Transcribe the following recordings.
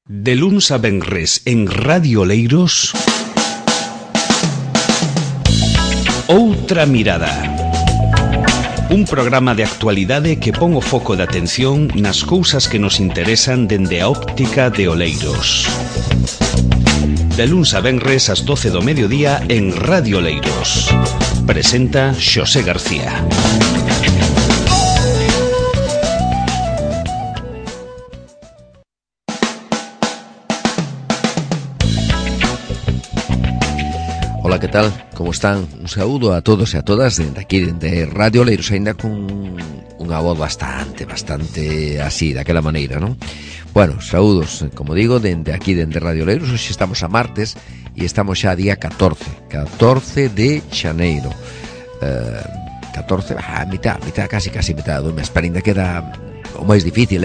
De luns a venres en Radio Oleiros, Outra Mirada. Un programa de actualidade que pon o foco de atención nas cousas que nos interesan dende a óptica de Oleiros. De luns a venres ás 12 do mediodía en Radio Oleiros. Presenta Xosé García. Ola, que tal? Como están? Un saúdo a todos e a todas dende aquí, dende Radio Oleiros, ainda con unha voz bastante así, daquela maneira, non? Bueno, saúdos, como digo, dende aquí, dende Radio Oleiros. Hoxe estamos a martes e estamos xa a día 14 de xaneiro. 14, mitad, casi mitad do mes, pero ainda queda o máis difícil,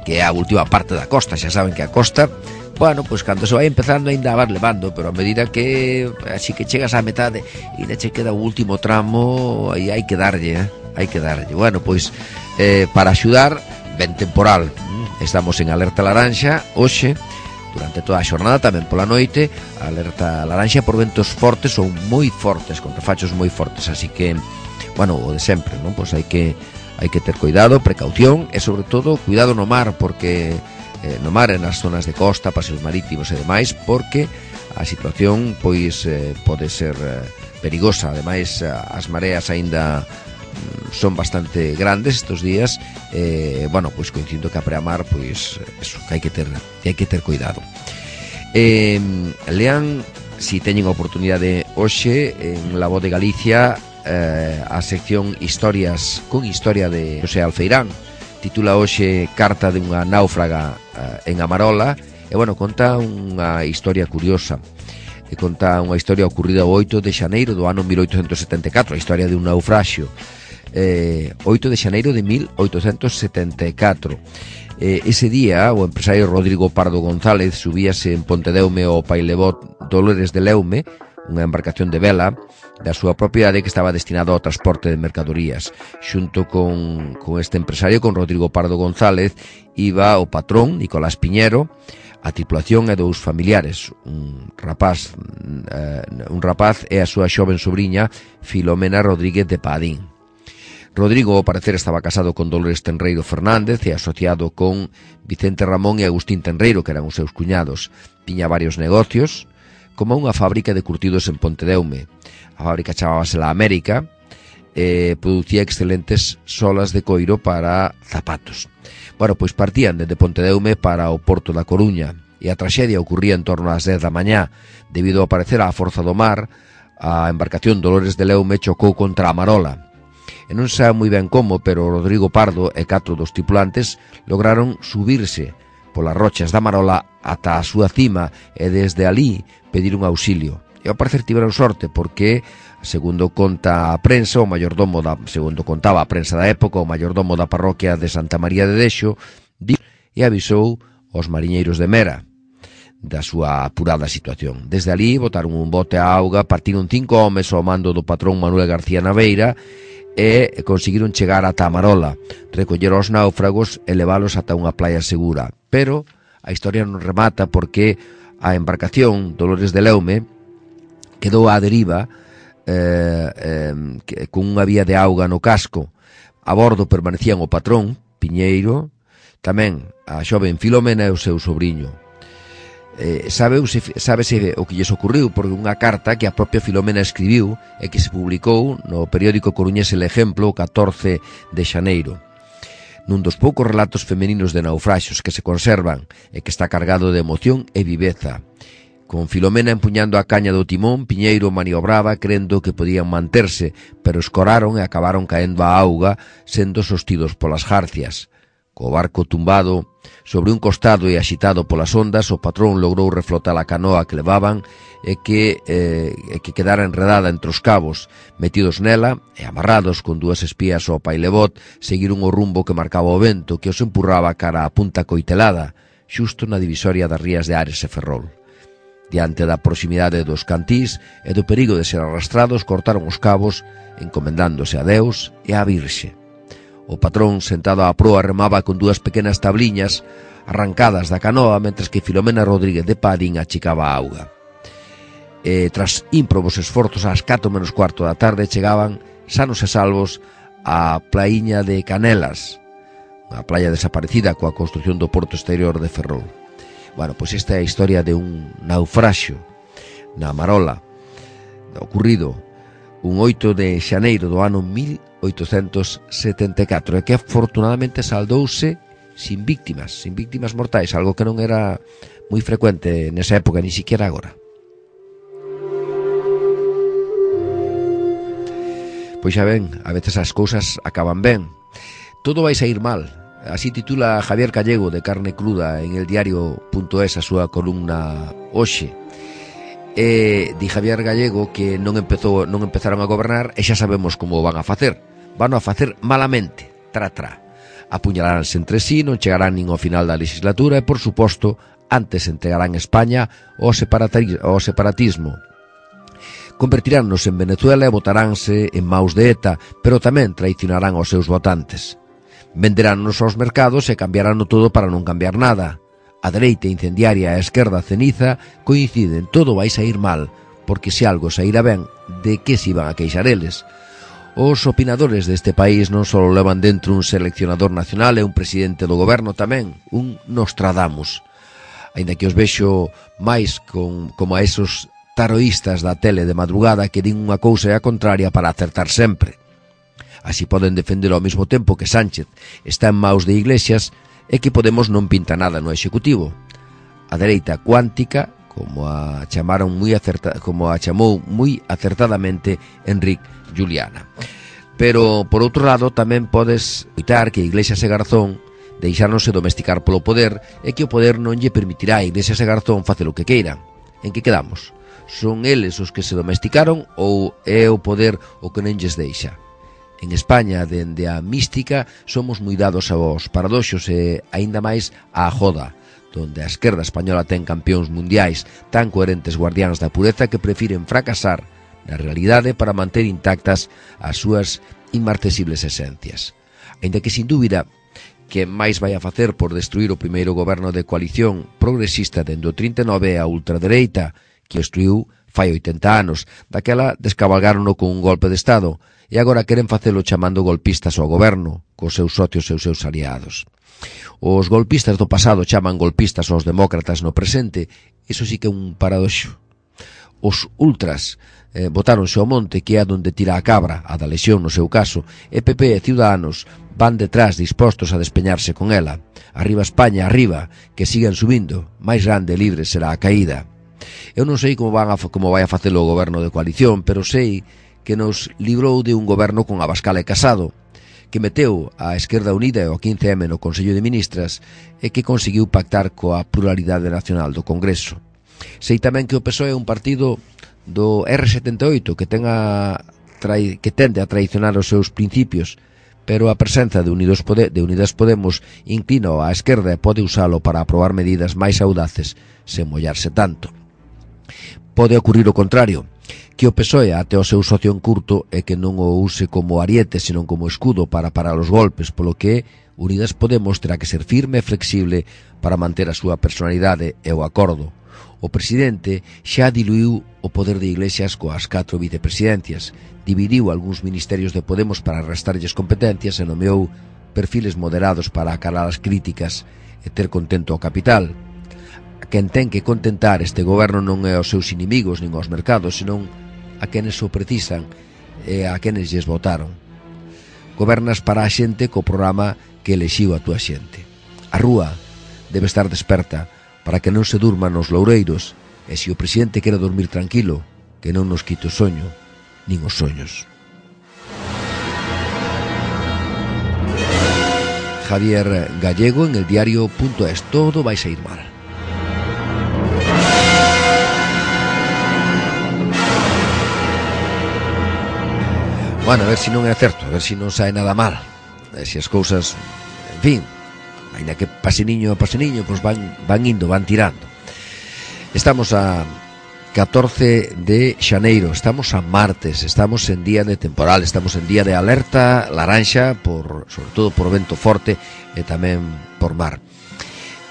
que é a última parte da costa. Xa saben que a costa, bueno, pois cando se vai empezando ainda vas levando, pero a medida que así que chegas á metade e ainda che queda o último tramo, aí hai que darlle. Bueno, pois para axudar, ben temporal. Estamos en alerta laranxa hoxe, durante toda a xornada, tamén pola noite, alerta laranxa por ventos fortes ou moi fortes, con refachos moi fortes, así que, bueno, o de sempre, non? Pois hai que ter cuidado, precaución e sobre todo cuidado no mar, porque no mar e nas zonas de costa, paseos marítimos e demais, porque a situación pois pode ser perigosa. Ademais, as mareas aínda son bastante grandes estes días. Bueno, pois coincido que a preamar, pois eso, que hai que ter cuidado. Lean, si teñen a oportunidade hoxe en La Voz de Galicia, a sección Historias con historia de José Alfeirán. Titula hoxe Carta de unha náufraga en Amarola. E, bueno, conta unha historia curiosa. Conta unha historia ocorrida o 8 de xaneiro do ano 1874, a historia de un naufraxio. 8 de xaneiro de 1874. Ese día, o empresario Rodrigo Pardo González subíase en Pontedeume ao pailebot Dolores de Leume, unha embarcación de vela da súa propiedade que estaba destinado ao transporte de mercadorías. Xunto con este empresario, con Rodrigo Pardo González, iba o patrón, Nicolás Piñero, a tripulación e dous familiares, un rapaz e a súa xoven sobriña, Filomena Rodríguez de Padín. Rodrigo, ao parecer, estaba casado con Dolores Tenreiro Fernández e asociado con Vicente Ramón e Agustín Tenreiro, que eran os seus cuñados. Tiña varios negocios, como unha fábrica de curtidos en Pontedeume. A fábrica chamábase La América e producía excelentes solas de coiro para zapatos. Bueno, pois partían desde Pontedeume para o porto da Coruña e a traxedia ocurría en torno ás 10 da mañá. Debido a aparecer á forza do mar, a embarcación Dolores de Leume chocou contra a Marola. E non sabe moi ben como, pero Rodrigo Pardo e 4 dos tripulantes lograron subirse polas rochas da Marola ata a súa cima e desde alí pedir un auxilio. E ao parecer tiveron sorte porque, segundo conta a prensa, segundo contaba a prensa da época, o maiordomo da parroquia de Santa María de Dexo e avisou aos mariñeiros de Mera da súa apurada situación. Desde alí botaron un bote á auga, partiron 5 homes ao mando do patrón Manuel García Naveira e conseguiron chegar ata a Marola, recoller aos náufragos e leválos ata unha playa segura. Pero a historia non remata porque a embarcación Dolores de Leume quedou á deriva con unha vía de auga no casco. A bordo permanecían o patrón, Piñeiro, tamén a xoven Filomena e o seu sobrinho. Sábese o que lles ocurriu porque unha carta que a propia Filomena escribiu e que se publicou no periódico coruñés El Ejemplo o 14 de xaneiro. Nun dos poucos relatos femeninos de naufraxos que se conservan e que está cargado de emoción e viveza. Con Filomena empuñando a caña do timón, Piñeiro maniobraba crendo que podían manterse, pero escoraron e acabaron caendo á auga, sendo sostidos polas jarcias. Co barco tumbado sobre un costado e axitado polas ondas, o patrón logrou reflotar a canoa que levaban e que quedara enredada entre os cabos. Metidos nela e amarrados con 2 espías ao pailebot, seguiron o rumbo que marcaba o vento, que os empurraba cara a Punta Coitelada, xusto na divisoria das rías de Ares e Ferrol. Diante da proximidade dos cantís e do perigo de ser arrastrados, cortaron os cabos, encomendándose a Deus e á Virxe. O patrón, sentado á proa, remaba con 2 pequenas tabliñas arrancadas da canoa, mentres que Filomena Rodríguez de Padín achicaba a auga. Tras ímprobos esforzos, ás 4:15 da tarde chegaban sanos e salvos á plaiña de Canelas, a playa desaparecida coa construción do porto exterior de Ferrol. Bueno, pois esta é a historia de un naufraxio na Marola, ocurrido un 8 de xaneiro do ano 1874, e que afortunadamente saldouse sin víctimas mortais, algo que non era moi frecuente nesa época, ni siquiera agora. Pois xa ven, a veces as cousas acaban ben. Todo vai sair mal. Así titula Javier Gallego de Carne Cruda en el diario.es a súa columna hoxe. Di Javier Gallego que non empezaron a gobernar e xa sabemos como van a facer. Van a facer malamente, tra. Apuñalaránse entre sí, non chegarán nin ao final da legislatura e, por suposto, antes entregarán España ao separatismo. Convertiránnos en Venezuela e botaránse en maus de ETA, pero tamén traicionarán aos seus votantes. Venderánnos aos mercados e cambiarán todo para non cambiar nada. A dereita incendiaria e a esquerda ceniza coinciden, todo vai sair mal, porque se algo saíra ben, de que se iban a queixar eles? Os opinadores deste país non só levan dentro un seleccionador nacional e un presidente do goberno tamén, un Nostradamus. Ainda que os vexo máis como a esos taroístas da tele de madrugada que din unha cousa e a contraria para acertar sempre. Así poden defender ao mesmo tempo que Sánchez está en maus de Iglesias e que Podemos non pinta nada no Executivo. A dereita cuántica, como a chamou moi acertadamente Enrique Juliana. Pero, por outro lado, tamén podes evitar que Iglesias e Garzón deixáronse domesticar polo poder e que o poder non lle permitirá a Iglesias e Garzón facer o que queiran. En que quedamos? Son eles os que se domesticaron ou é o poder o que non lles deixa? En España, dende a mística, somos moi dados aos paradoxos e aínda máis á joda, donde a esquerda española ten campións mundiais tan coherentes guardiáns da pureza que prefiren fracasar na realidade para manter intactas as súas inmarcesibles esencias. Aínda que, sin dúbida, que máis vai a facer por destruir o primeiro goberno de coalición progresista dende o 39 a ultradereita, que destruiu fai 80 anos. Daquela descabalgárono con un golpe de Estado e agora queren facelo chamando golpistas ao goberno, cos seus socios e os seus aliados. Os golpistas do pasado chaman golpistas aos demócratas no presente, iso sí que é un paradoxo. Os ultras botáronse ao monte, que é a donde tira a cabra, a da lesión no seu caso, e PP e Ciudadanos van detrás dispostos a despeñarse con ela. Arriba España, arriba, que sigan subindo, máis grande e libre será a caída. Eu non sei como vai a facelo o goberno de coalición, pero sei que nos librou de un goberno con Abascal e Casado, que meteu a Esquerda Unida e o 15M no Consello de Ministras e que conseguiu pactar coa pluralidade nacional do Congreso. Sei tamén que o PSOE é un partido do R78 que tende a traicionar os seus principios, pero a presenza de Unidas Podemos inclina á esquerda e pode usalo para aprobar medidas máis audaces sen mollarse tanto. Pode ocurrir o contrario, que o PSOE ate o seu socio en curto e que non o use como ariete, senón como escudo para parar os golpes, polo que Unidas Podemos terá que ser firme e flexible para manter a súa personalidade e o acordo. O presidente xa diluiu o poder de Iglesias coas 4 vicepresidencias, dividiu algúns ministerios de Podemos para restarlles competencias e nomeou perfiles moderados para acalar as críticas e ter contento ao capital. Quen ten que contentar este goberno non é aos seus inimigos nin aos mercados, senón a quenes o precisan e a quenes lles votaron. Gobernas para a xente co programa que elexiu a túa xente. A rúa debe estar desperta para que non se durma nos loureiros, e se o presidente quere dormir tranquilo, que non nos quite o soño, nin os soños. Javier Gallego en el diario.es. Todo vai sair mal. Bueno, a ver se non é certo, a ver se non sae nada mal, a ver se as cousas, en fin, ainda que paseniño a paseniño, pois van indo, van tirando. Estamos a 14 de xaneiro, estamos a martes, estamos en día de temporal, estamos en día de alerta laranxa, sobre todo por vento forte e tamén por mar.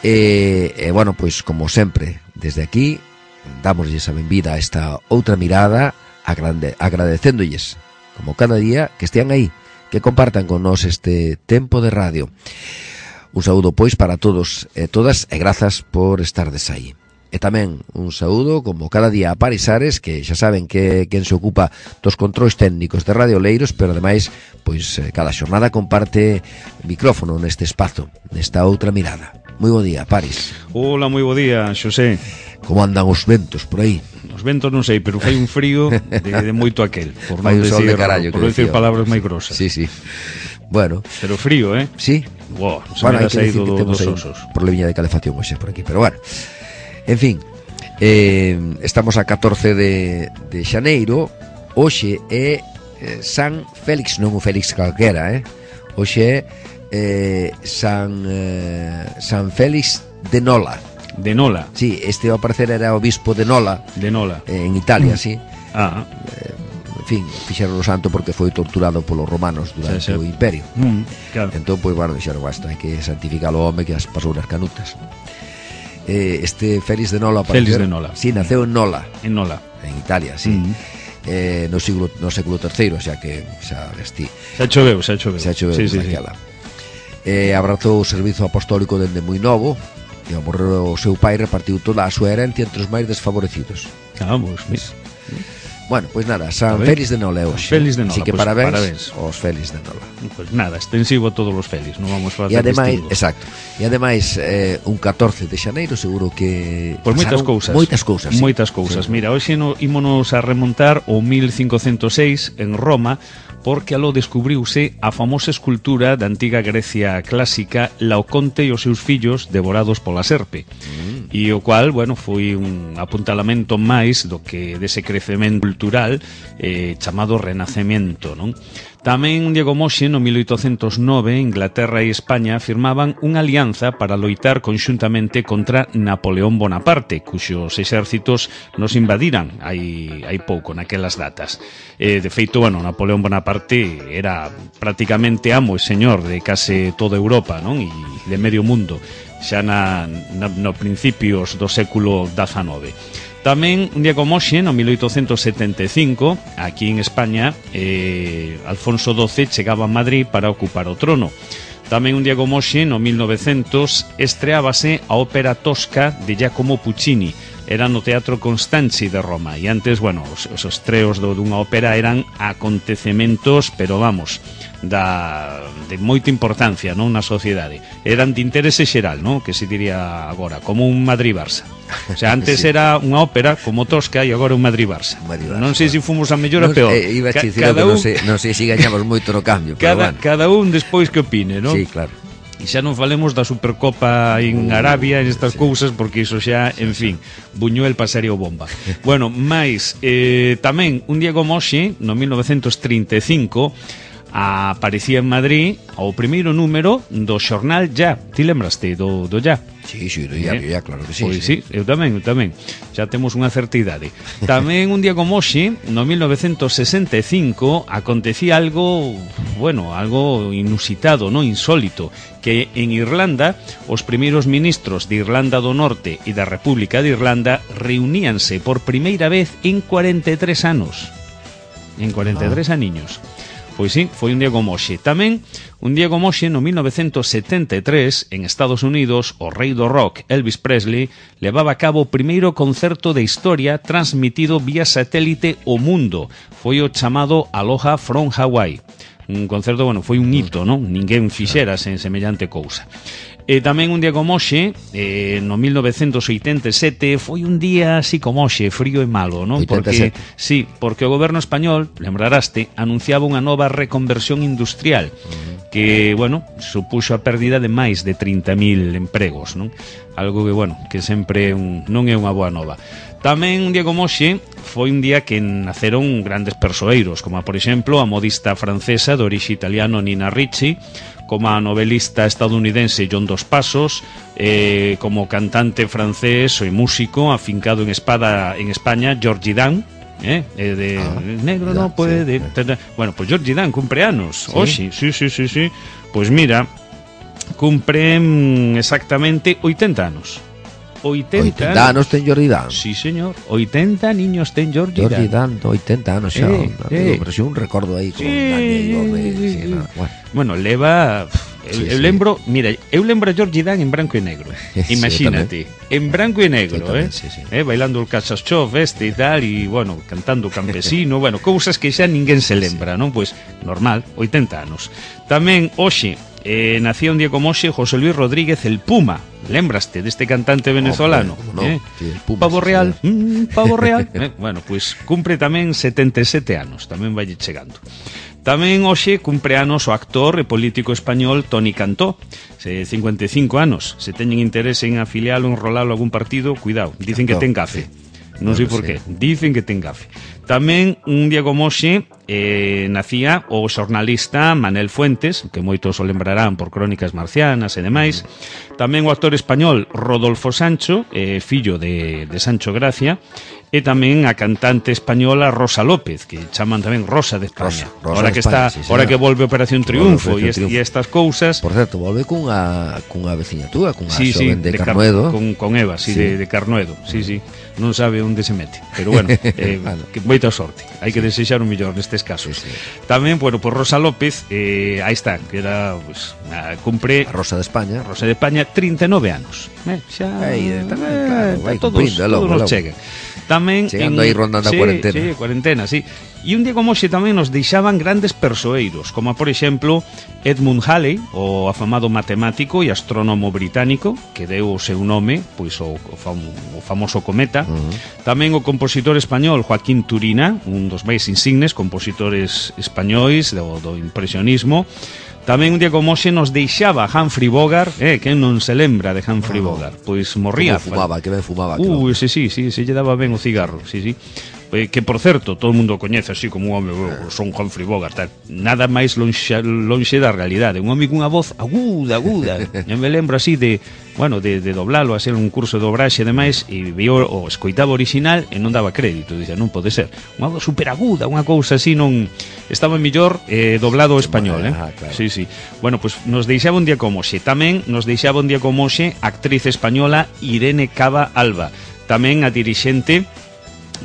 Bueno, pois como sempre, desde aquí dámoslles a benvida a esta outra mirada, agradecéndolles como cada día que estean aí, que compartan con nós este tempo de radio. Un saúdo pois para todos e todas e grazas por estardes aí. E tamén un saúdo como cada día a Paris Ares, que xa saben que quen se ocupa dos controis técnicos de Radio Oleiros, pero ademais pois cada xornada comparte micrófono neste espazo, nesta outra mirada. Moi bo día, Paris. Hola, moi bo día, Xosé. Como andan os ventos por aí? Os ventos non sei, pero fai un frío de moito aquel, por non decir, sol de carallo, por decir palabras máis grosas. Sí, sí. Bueno, pero frío, Sí. Wow, se me ha saído dos osos. Problemilla de calefacción hoxe por aquí, pero bueno. En fin, estamos a 14 de xaneiro. Hoxe é San Félix, non o Félix calquera, Hoxe é San Félix de Nola. De Nola? Sí, este ao parecer era obispo de Nola. De Nola. En Italia, sí. En fin, fixeron o santo porque foi torturado polos romanos durante o imperio. Claro. Entón, pois, bueno, dixeron, basta, hai que santificar o home que as pasou nas canutas. Este Félix de Nola, Félix de Nola. Sí, naceu en Nola. En Nola. En Italia, sí. No século III, xa que xa vestí. Xa choveu. Sí. Abrazou o servizo apostólico dende moi novo e ao morrer o seu pai repartiu toda a súa herencia entre os máis desfavorecidos. Vamos, Bueno, pois nada, San Félix de Nola hoxe. Félix de Nola, así que pues, parabéns aos Félix de Nola. Pues nada, extensivo a todos os Félix, non vamos facer distingo. Exacto. E ademais, un 14 de xaneiro seguro que pois moitas cousas. Sí. Moitas cousas. Sí. Mira, hoxe ímonos a remontar ao 1506 en Roma, porque aló descubriuse a famosa escultura da antiga Grecia clásica Laoconte e os seus fillos devorados pola serpe. E o cual, bueno, foi un apuntalamento máis do que dese crecemento cultural chamado Renacemento, non? Tamén un día como hoxe, no 1809, Inglaterra e España firmaban unha alianza para loitar conxuntamente contra Napoleón Bonaparte, cuxos exércitos nos invadiran hai pouco, naquelas datas. De feito, bueno, Napoleón Bonaparte era prácticamente amo e señor de case toda Europa, non? E de medio mundo, xa no principios do século XIX. Tamén, un día como hoxe, no 1875, aquí en España, Alfonso XII chegaba a Madrid para ocupar o trono. Tamén, un día como hoxe, no 1900, estreábase a ópera Tosca de Giacomo Puccini. Era no Teatro Constanzi de Roma. E antes, bueno, os estreos dunha ópera eran acontecementos, pero vamos, de moita importancia, non, na sociedade. Eran de interese xeral, non, que se diría agora, como un Madrid-Barça. O sea, antes sí. Era unha ópera como Tosca e agora un Madrid-Barça. Non sei se fomos a mellor ou peor. Iba a dicir que non sei se gañamos moito no cambio, pero bueno. Cada un despois que opine, non? Sí, claro. E xa non falemos da Supercopa en Arabia, en estas cousas, porque iso xa, en fin, Buñuel pasaría o bomba. Bueno, máis, tamén, un día como hoxe, no 1935, aparecía en Madrid o primeiro número do xornal Ya. Ti lembraste do Ya? Sí, do diario Ya, claro que sí. Pois sí, eu tamén. Xa temos unha certa idade. Tamén un día como hoxe, no 1965, acontecía algo, bueno, algo inusitado, non, insólito, que en Irlanda os primeiros ministros de Irlanda do Norte e da República de Irlanda reuníanse por primeira vez en 43 anos. En 43 aniños. Pois sí, foi un día como hoxe. Tamén, un día como hoxe, no 1973, en Estados Unidos, o rei do rock, Elvis Presley, levaba a cabo o primeiro concerto de historia transmitido vía satélite ao mundo. Foi o chamado Aloha from Hawaii. Un concerto, bueno, foi un hito, non? Ninguén fixera sen semellante cousa. E tamén un día como hoxe, no 1987, foi un día así como hoxe, frío e malo, non? 87. Porque o goberno español, lembraraste, anunciaba unha nova reconversión industrial que, bueno, supuxo a pérdida de máis de 30.000 empregos, non? Algo que, bueno, que sempre non é unha boa nova. Tamén un día como hoxe foi un día que naceron grandes persoeiros, como por exemplo a modista francesa de orixe italiano Nina Ricci, como a novelista estadounidense John Dos Passos, como cantante francés e músico afincado en España Georgie Dan, negro no puede. Sí. Bueno, pues Georgie Dan cumpre anos hoxe, sí. Pues mira, cumpren exactamente 80 anos. 80 anos ten Jordi Dan. Sí, señor. 80 niños ten Jordi Dan. 80 anos xa. Pero xa un recordo aí con Daniel. Bueno, leva... Eu lembro, mira, eu lembro a Jordi Dan en branco e negro. Imagínate, en branco e negro, bailando el Cachachov e tal, e, bueno, cantando Campesino, bueno, cousas que xa ninguén se lembra, non? Pois, normal, 80 anos. Tamén, hoxe, nacía un día como hoxe José Luis Rodríguez el Puma. Lembraste deste cantante venezolano? Sí, el Puma, Pavo Real, Pavo Real. Bueno, pois cumpre tamén 77 anos, tamén vai chegando. Tamén hoxe cumpre anos o actor e político español Toni Cantó, 55 anos. Se teñen interese en afilialo, enrolalo a algún partido, cuidado, dicen que ten gafe. Non sei por qué, dicen que ten gafe. Tamén un día como hoxe nacía o xornalista Manel Fuentes, que moitos o lembrarán por Crónicas Marcianas e demais. Tamén o actor español Rodolfo Sancho, fillo de Sancho Gracia. E tamén a cantante española Rosa López, que chaman tamén Rosa de España. Rosa que España, está, ahora que volve Operación Triunfo e estas cousas. Por certo, volve cunha veciña túa, cunha xoven de Carnuedo. Con Eva, de Carnuedo. Sí. Non sabe onde se mete, pero bueno, que moita sorte. Hai que desexar o mellor nestes casos. Tamén, bueno, por Rosa López, aí está, que era, pues, cumpre a Rosa de España. Rosa de España, 39 anos. Xa, vai todos nos chegan. Tamén chegando aí rondando a cuarentena. Sí, cuarentena, sí. E un día como hoxe tamén nos deixaban grandes persoeiros, como por exemplo Edmund Halley, o afamado matemático e astrónomo británico, que deu o seu nome, pois o famoso cometa. Tamén o compositor español Joaquín Turina, un dos máis insignes compositores españois do impresionismo. Tamén un día como hoxe nos deixaba Humphrey Bogart, quen non se lembra de Humphrey Bogart? Pois morría. Que ben fumaba. Sí, se lle daba ben o cigarro, sí. Que, por certo, todo o mundo coñece así como un home, son Humphrey Bogart, tal. Nada máis lonxe da realidade. Un home cunha voz aguda. Eu me lembro así de doblalo, a ser un curso de dobraxe e demais, e vio o escoitaba original e non daba crédito. Dicía, non pode ser. Unha voz super aguda, unha cousa así, non... Estaba mellor doblado ao español, claro. Sí. Bueno, pois nos deixaba un día como hoxe. Tamén nos deixaba un día como hoxe a actriz española Irene Cava Alba. Tamén a dirixente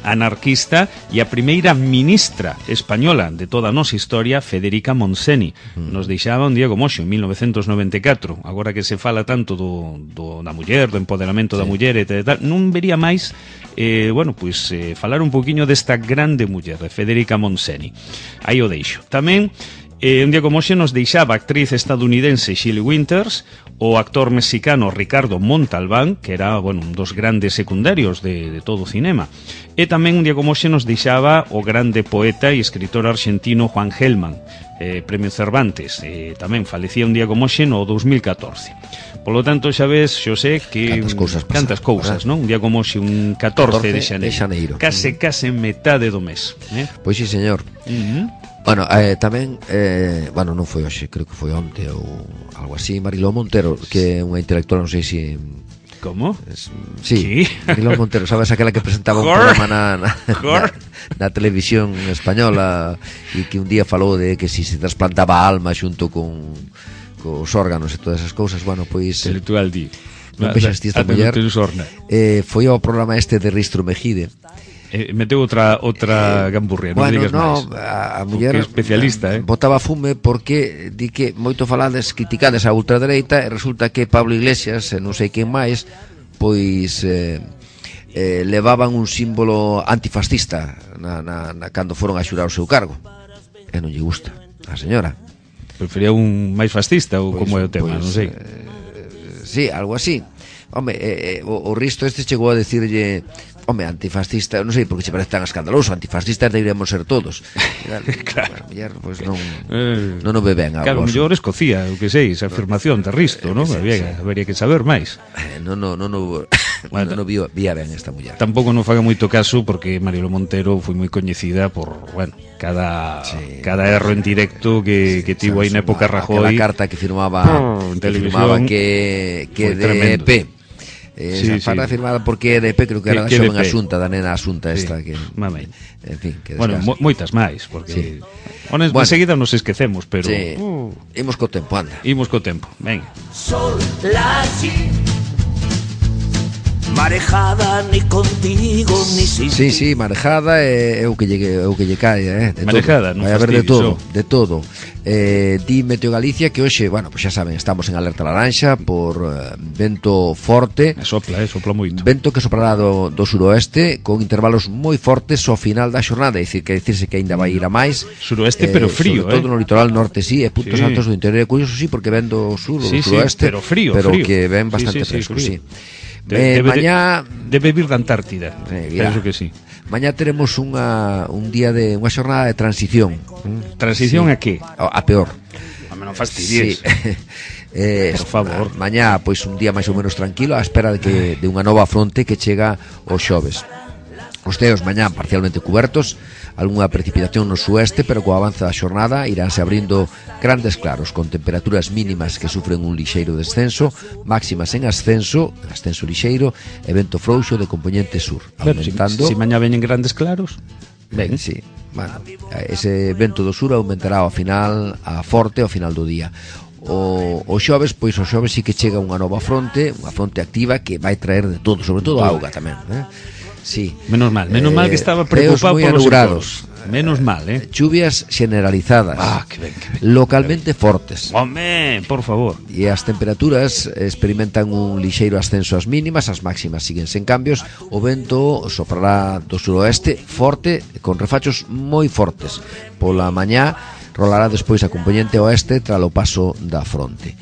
anarquista e a primeira ministra española de toda a nosa historia, Federica Montseny. Nos deixaba un día como hoxe, en 1994. Agora que se fala tanto da muller, do empoderamento da muller e tal, non vería máis falar un poquinho desta grande muller, de Federica Montseny. Aí o deixo. Tamén un día como hoxe nos deixaba a actriz estadounidense Shelley Winters, o actor mexicano Ricardo Montalbán, que era, un dos grandes secundarios de todo o cinema. E tamén un día como hoxe nos deixaba o grande poeta e escritor argentino Juan Gelman, Premio Cervantes. Tamén falecía un día como hoxe no 2014. Polo tanto, xa ves, Xosé, que cantas cousas, non? Un día como hoxe, un 14 de xaneiro. Case metade do mes. Pois sí, señor. Bueno, tamén, non foi hoxe, creo que foi onte ou algo así, Mariló Montero, que é unha intelectual, non sei se... Como? Sí, Mariló Montero, sabes, aquela que presentaba un programa na televisión española e que un día falou de que si se trasplantaba a alma xunto cos órganos e todas esas cousas, pois... Intelectual di. Non vexaste esta muller. Foi ao programa este de Ristro Mejide. Meteu outra gamburria, non digas máis. A muller é especialista, botaba fume porque di que moito falades, criticades a ultradereita, e resulta que Pablo Iglesias e non sei quen máis, pois levaban un símbolo antifascista cando foron a xurar o seu cargo, e non lle gusta a señora. Prefería un máis fascista ou como é o tema, non sei. Sí, algo así. Home, o Risto este chegou a decirlle, antifascista, non sei por que se parece tan escandaloso, antifascistas deberíamos ser todos. Claro, pois non o ve ben. Claro, mellor Escocía, o que sei, esa afirmación de Risto, non? Habería que saber máis. Non vía ben esta muller. Tampouco non faga moito caso porque Mariló Montero foi moi coñecida por, cada erro en directo que tivo aí na época Rajoy. Aquela carta que firmaba que de EP. Esa farda firmada porque EDP, creo que era da xoven Asunta, da nena Asunta esta que, en fin, que bueno, moitas máis, porque bueno, enseguida nos esquecemos, pero imos co tempo, anda. Imos co tempo, venga. Sol, la marejada ni contigo ni sin Sí, marejada é o que lle cae, de marejada, todo. Vai haber de todo. Di Meteo Galicia que hoxe, bueno, pues xa saben, estamos en alerta laranxa por vento forte. Sopla moito. Vento que soprará do suroeste con intervalos moi fortes ao final da xornada, é dicir, que decirse que ainda vai ir a máis. Suroeste pero frío, sobre todo no litoral norte, e puntos altos do interior, curioso, porque ven do sur ou do suroeste, pero frío, que ven bastante fresco, Debe vir da Antártida. Penso que sí. Mañá teremos un día de unha xornada de transición. Transición a que? A peor. Non fastidies. Por favor. Mañá, pois un día máis ou menos tranquilo, á espera de unha nova fronte que chega o xoves. Os ceos mañá parcialmente cubertos, algunha precipitación no sueste, pero co avance da xornada iránse abrindo grandes claros, con temperaturas mínimas que sufren un lixeiro descenso, máximas en ascenso lixeiro, e vento frouxo de compoñente sur, aumentando. Si mañá veñen grandes claros, ben. Sí, bueno, ese vento do sur aumentará ao final, a forte ao final do día. O xoves, pois o xoves sí que chega unha nova fronte, unha fronte activa que vai traer de todo, sobre todo auga tamén, Sí. Menos mal que estaba preocupado por los sectores. Menos mal, Chuvias generalizadas. Que ben. Localmente fortes. Home, por favor. E as temperaturas experimentan un lixeiro ascenso ás mínimas, as máximas siguen sen cambios. O vento soprará do suroeste forte, con refachos moi fortes. Pola mañá rolará despois a compoñente oeste tras o paso da fronte.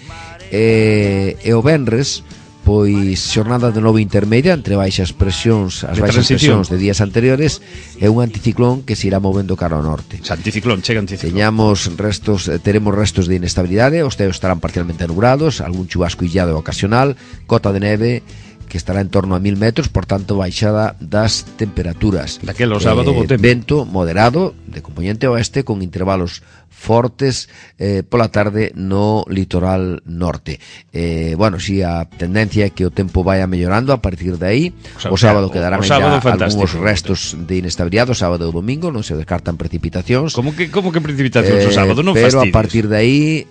E o venres, pois xornada de novo intermedia entre baixas presións, as baixas presións de días anteriores, e un anticiclón que se irá movendo cara ao norte. Chega anticiclón. Teremos restos de inestabilidade, os ceos estarán parcialmente nubrados, algún chubasco illado ocasional, cota de neve que estará en torno a 1000 metros, por tanto baixada das temperaturas. Daquelo sábado vento moderado de compoñente oeste con intervalos fortes pola tarde no litoral norte. A tendencia é que o tempo vaya mellorando a partir de aí. O sábado quedarán algúns restos de inestabilidade, o sábado e o domingo non se descartan precipitacións. Como que precipitacións o sábado? Non fastidies. Pero a partir de aí,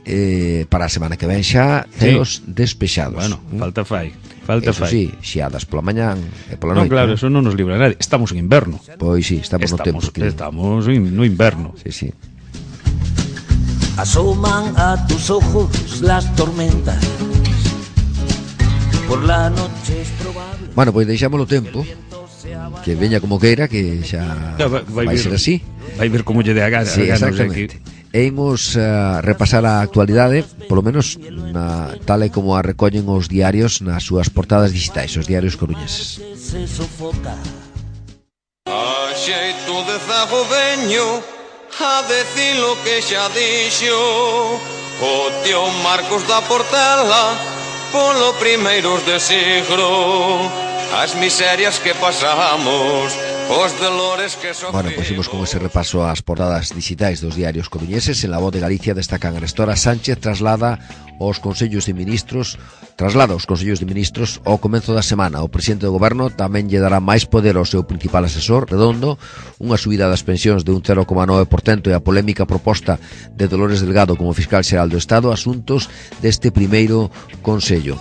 para a semana que ven xa, ceos despexados. Bueno, falta fai. Sí, xiadas pola mañán e pola noite. Non, claro, eso non nos libra nadie. Estamos en inverno. Pois sí, estamos no tempo. Estamos no inverno. Sí. Asoman a tus ojos las tormentas. Por la noche es probable. Bueno, pois deixámolo tempo, que veña como queira, que xa vai ser así. Vai ver como lle de a gana. Sí, exactamente. E imos repasar a actualidade, polo menos tal e como a recollen os diarios nas súas portadas digitais, os diarios coruñeses. A xeito de zagoveño, a decir lo que xa dixo o tío Marcos da Portela polo primeiros de siglo, as miserias que pasamos, os dolores que sofrimos. Bueno, pois imos con ese repaso ás portadas digitais dos diarios coruñeses. En La Voz de Galicia destacan Arestora Sánchez traslada aos consellos de ministros ao comezo da semana. O presidente do goberno tamén lle dará máis poder ao seu principal asesor, Redondo, unha subida das pensións de un 0,9% e a polémica proposta de Dolores Delgado como fiscal xeral do Estado, asuntos deste primeiro consello.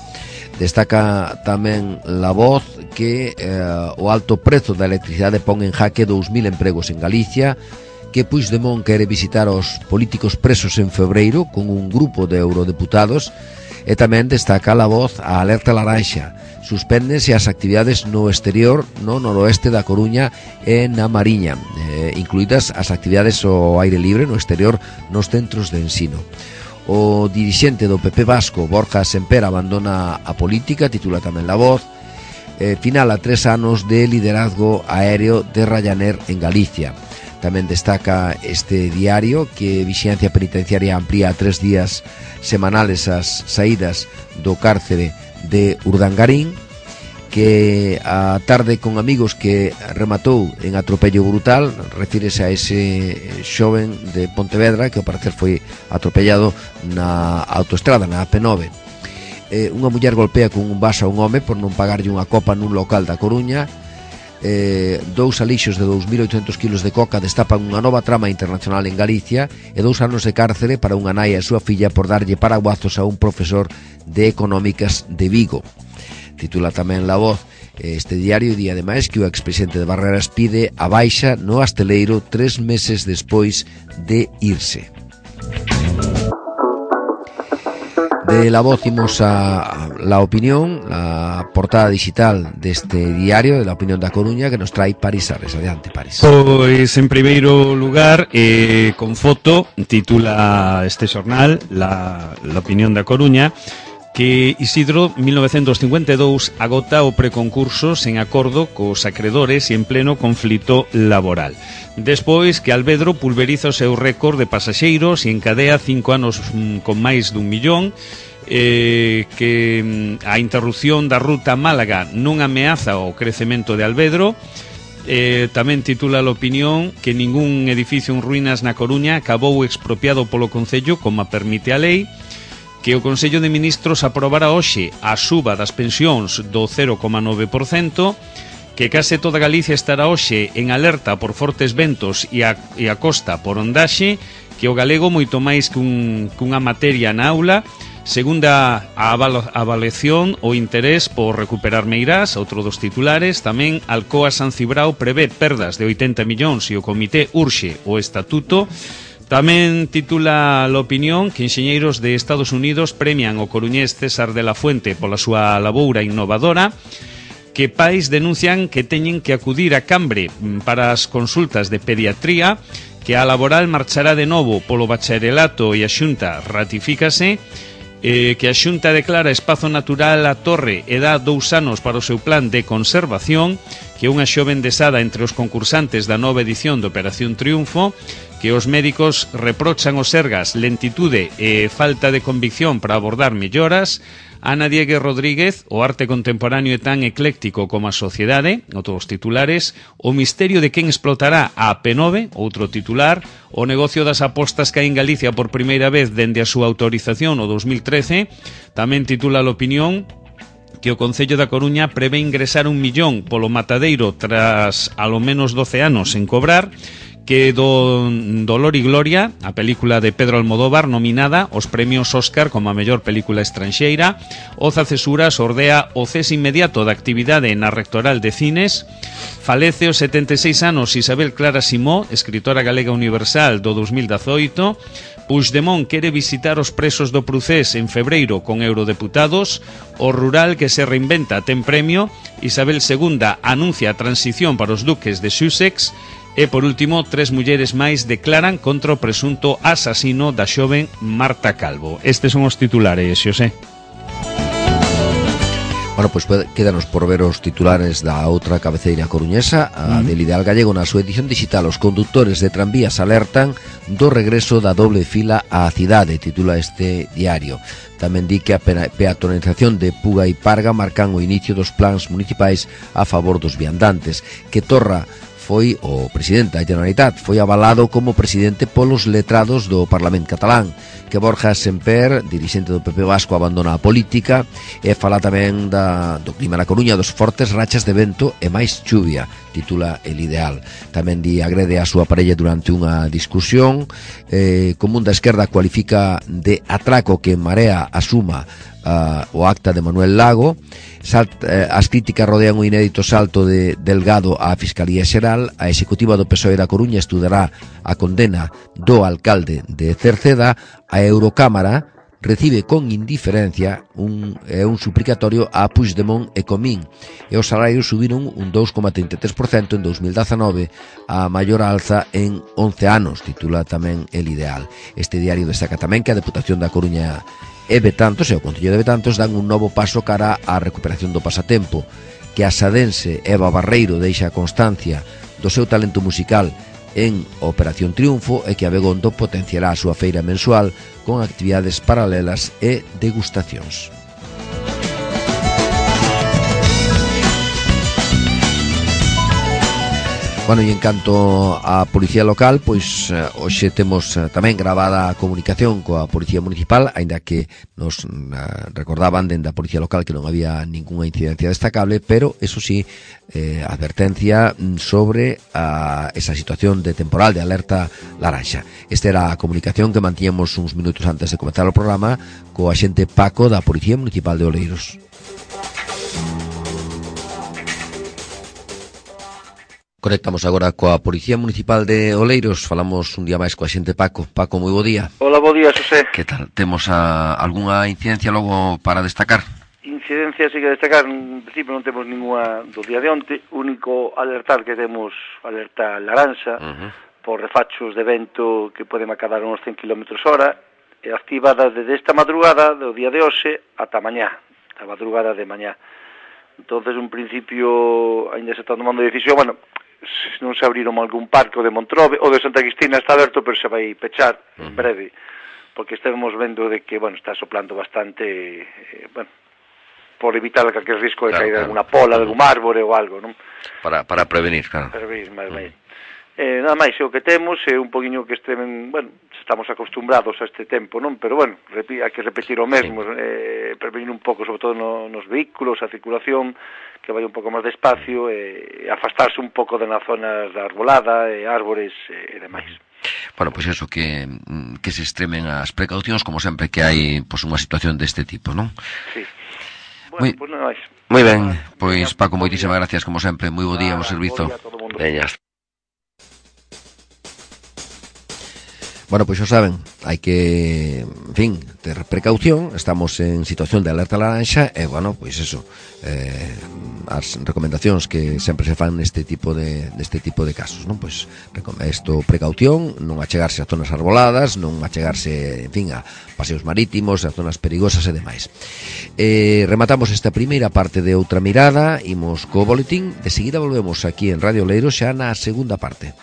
Destaca tamén La Voz que o alto prezo da electricidade pon en jaque 2000 empregos en Galicia, que Puigdemont quere visitar os políticos presos en febreiro con un grupo de eurodeputados, e tamén destaca La Voz a alerta laranxa. Suspéndense as actividades no exterior, no noroeste da Coruña e na Mariña, incluídas as actividades ao aire libre no exterior nos centros de ensino. O dirixente do PP vasco, Borja Semper, abandona a política, titula tamén La Voz. Final a 3 anos de liderazgo aéreo de Ryanair en Galicia. Tamén destaca este diario que Vixilancia Penitenciaria amplía a 3 días semanales as saídas do cárcere de Urdangarín, que a tarde con amigos que rematou en atropello brutal, refírese a ese xoven de Pontevedra que ao parecer foi atropellado na autoestrada, na AP9. unha muller golpea con un vaso a un home por non pagarlle unha copa nun local da Coruña. Dous alixos de 2.800 kilos de coca destapan unha nova trama internacional en Galicia e 2 anos de cárcere para unha nai e a súa filla por darlle paraguazos a un profesor de económicas de Vigo. Titula tamén La Voz este diario, e ademais que o expresidente de Barreras pide a baixa no hosteleiro 3 meses despois de irse. De La Voz imos a La Opinión, la portada digital deste diario de La Opinión da Coruña, que nos trae Paris Sarres. Adiante, Paris. Pois, en primeiro lugar, con foto, titula este xornal, La Opinión da Coruña, que Isidro 1952 agota o preconcurso sen acordo cos acredores e en pleno conflito laboral. Despois que Alvedro pulveriza o seu récord de pasaxeiros e encadea 5 anos con máis dun millón, que a interrupción da ruta Málaga non ameaza o crecemento de Alvedro. Tamén titula a opinión que ningún edificio en ruínas na Coruña acabou expropiado polo Concello como a permite a lei, que o Consello de Ministros aprobará hoxe a suba das pensións do 0,9%, que case toda Galicia estará hoxe en alerta por fortes ventos e a costa por ondaxe, que o galego moito máis que cunha materia na aula, segunda a avaliación o interés por recuperar Meirás, outro dos titulares. Tamén Alcoa San Cibrao prevé perdas de 80 millóns e o comité urxe o estatuto. Tamén titula a opinión que enxeñeiros de Estados Unidos premian o coruñés César de la Fuente pola súa laboura innovadora, que pais denuncian que teñen que acudir a Cambre para as consultas de pediatría, que a laboral marchará de novo polo bacharelato e a Xunta ratifícase, que a Xunta declara espazo natural a Torre e dá 2 anos para o seu plan de conservación, que unha xoven desada entre os concursantes da nova edición de Operación Triunfo, que os médicos reprochan aos Sergas lentitude e falta de convicción para abordar melloras. Ana Diegue Rodríguez, o arte contemporáneo é tan ecléctico como a sociedade, outros titulares. O misterio de quen explotará a P9, outro titular. O negocio das apostas cae en Galicia por primeira vez dende a súa autorización no 2013. Tamén titula a opinión que o Concello da Coruña prevé ingresar 1 millón polo matadeiro tras alo menos 12 anos en cobrar, que Dolor y Gloria, a película de Pedro Almodóvar nominada aos premios Óscar como a mellor película estranxeira. Oza Cesura sordea o cese inmediato da actividade na Rectoral de Cines. Falece aos 76 anos Isabel Clara Simó, escritora galega universal do 2018. Puigdemont quere visitar os presos do Procés en febreiro con eurodeputados. O rural que se reinventa ten premio. Isabel II anuncia a transición para os duques de Sussex. E, por último, 3 mulleres máis declaran contra o presunto asasino da xoven Marta Calvo. Estes son os titulares, Xosé. Bueno, pois quédanos por ver os titulares da outra cabeceira coruñesa, a del Ideal Gallego. Na súa edición digital, os condutores de tranvías alertan do regreso da doble fila á cidade, titula este diario. Tamén di que a peatonalización de Puga e Parga marcan o inicio dos plans municipais a favor dos viandantes, que Torra foi o presidente da Generalitat, foi avalado como presidente polos letrados do Parlamento catalán, que Borja Semper, dirixente do PP Vasco, abandona a política, e fala tamén do clima na Coruña, dos fortes rachas de vento e máis chuvia, titula El Ideal. Tamén agrede a súa parella durante unha discusión. Común da Esquerda cualifica de atraco que En Marea asuma o acta de Manuel Lago. As críticas rodean o inédito salto de Delgado á Fiscalía Xeral. A executiva do PSOE da Coruña estudará a condena do alcalde de Cerceda. A Eurocámara recibe con indiferencia un suplicatorio a Puigdemont e Comín, e os salarios subiron un 2,33% en 2019, a maior alza en 11 anos, titula tamén El Ideal. Este diario destaca tamén que a Deputación da Coruña e Betantos e o Concello de Betantos dan un novo paso cara á recuperación do pasatempo, que a sadense Eva Barreiro deixa constancia do seu talento musical en Operación Triunfo, e que Abegondo potenciará a súa feira mensual con actividades paralelas e degustacións. Bueno, e en canto á Policía Local, pois hoxe temos tamén gravada a comunicación coa Policía Municipal, aínda que nos recordaban dende a Policía Local que non había ningunha incidencia destacable, pero, eso sí, advertencia sobre esa situación de temporal, de alerta laranxa. Esta era a comunicación que mantíamos uns minutos antes de comenzar o programa co axente Paco da Policía Municipal de Oleiros. Conectamos agora coa Policía Municipal de Oleiros. Falamos un día máis coa xente Paco. Paco, moi bo día. Hola, bo día, Xosé. Que tal? Temos algunha incidencia logo para destacar? Incidencia sí que destacar, en principio non temos ninguna do día de onte, único alertar que temos alerta laranxa por refachos de vento que poden acadar uns 100 km/h, activada desde esta madrugada do día de hoxe ata mañá, a madrugada de mañá. Entonces, un principio, ainda se está tomando decisión, bueno, non se abriron algún parque, o de Montrobe, o de Santa Cristina está aberto, pero se vai pechar en breve, porque estamos vendo de que, bueno, está soplando bastante, bueno, por evitar calquer risco de caída de alguna pola, de algún árbore ou algo, non? Para prevenir, claro. Prevenir, máis. Nada máis, o que temos é un poquinho que estén, bueno, estamos acostumbrados a este tempo, non? Pero, bueno, hai que repetir o mesmo, prevenir un pouco, sobre todo nos vehículos, a circulación, que vai un pouco máis despacio, e afastarse un pouco de nas zonas da arbolada, árbores e demais. Bueno, pois eso, que se extremen as precaucións, como sempre que hai unha situación deste tipo, non? Sí. Bueno, pois nada máis. Moi ben, pois Paco, moitísimas gracias, como sempre, moi bo día, bo servizo. Veña. Bueno, pois xa saben, hai que, en fin, ter precaución, estamos en situación de alerta laranxa e, bueno, pois eso, as recomendacións que sempre se fan neste tipo de casos, non? Pois isto, precaución, non achegarse a zonas arboladas, non achegarse, en fin, a paseos marítimos, a zonas perigosas e demais. Rematamos esta primeira parte de Outra Mirada, imos co boletín, de seguida volvemos aquí en Radio Oleiros xa na segunda parte.